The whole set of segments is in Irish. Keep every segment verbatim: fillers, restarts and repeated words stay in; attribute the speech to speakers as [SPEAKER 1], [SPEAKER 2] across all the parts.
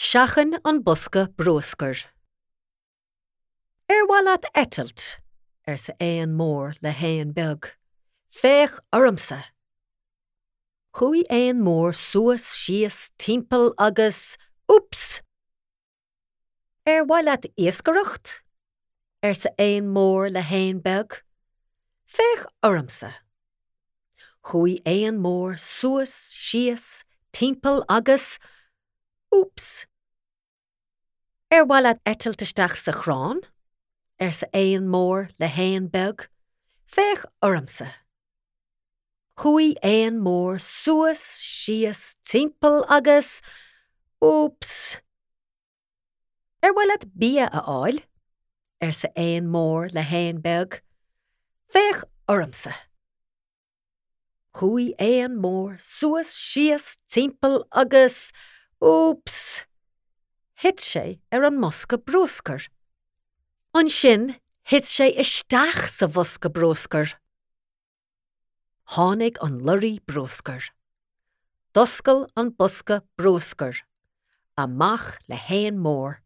[SPEAKER 1] Seachain an bosca bruscair. Ar mhaith leat eitilt, arsa éan mór le héan beag. Féach ormsa. Chuaigh éan mór suas síos timpeall agus úps! Ar mhaith leat iascaireacht? arsa éan mór le héan beag. Féach ormsa. Chuaigh éan mór suas síos timpeall agus úps! Ar mhaith leat eitilt isteach sa chrann? arsa éan mór le héan beag. Féach ormsa. Chuaigh éan mór suas síos timpeall agus úps! Ar mhaith leat bia a fháil? arsa éan mór le héan beag. Féach ormsa. Chuaigh éan mór suas síos timpeall agus úps! Thit sé ar an mbosca bruscair. Ansin thit sé isteach sa bhosca bruscair. Tháinig an lorry bruscair. D'oscail an bosca bruscair, amach le héan mór.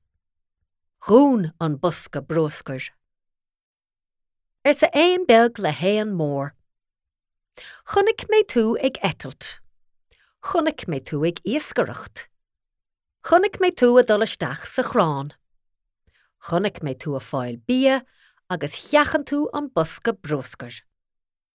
[SPEAKER 1] Dhún an bosca bruscair. Arsa éan beag le héan mór. Chonaic mé tú ag eitilt. Chonaic mé tú ag iascaireacht. Chonaic mé tú ag dul isteach sa chrann. Chonaic mé tú ag fáil bia agus sheachain tú an bosca bruscair.